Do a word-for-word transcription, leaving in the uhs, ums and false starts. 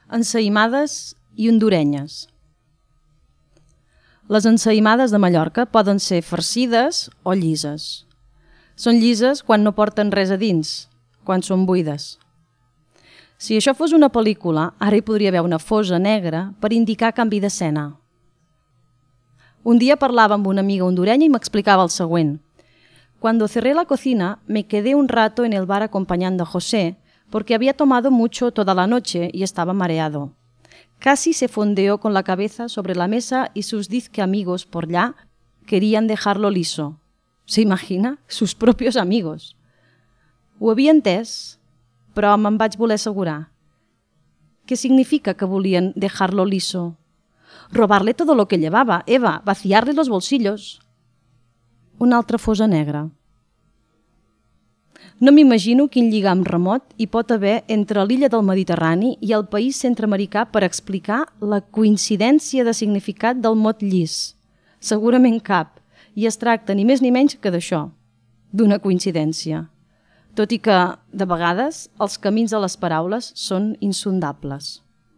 Ensaïmades i hondurenyes. Les ensaïmades de Mallorca poden ser farcides o llises. Són llises quan no porten res a dins, quan són buides. Si això fos una pel·lícula, ara hi podria haver una fosa negra per indicar canvi d'escena. Un dia parlava amb una amiga hondurenya i m'explicava el següent. Cuando cerré la cocina, me quedé un rato en el bar acompañando a José, porque había tomado mucho toda la noche y estaba mareado. Casi se fondeó con la cabeza sobre la mesa y sus dizque amigos por allá querían dejarlo liso. ¿Se imagina? Sus propios amigos. Ho havia entès, però me'n vaig voler assegurar. ¿Qué significa que volien dejarlo liso? Robarle todo lo que llevaba, Eva, vaciarle los bolsillos. Una altra fosa negra. No m'imagino quin lligam remot hi pot haver entre l'illa del Mediterrani i el país centreamericà per explicar la coincidència de significat del mot llis. Segurament cap, i es tracta ni més ni menys que d'això, d'una coincidència. Tot i que, de vegades, els camins de les paraules són insondables.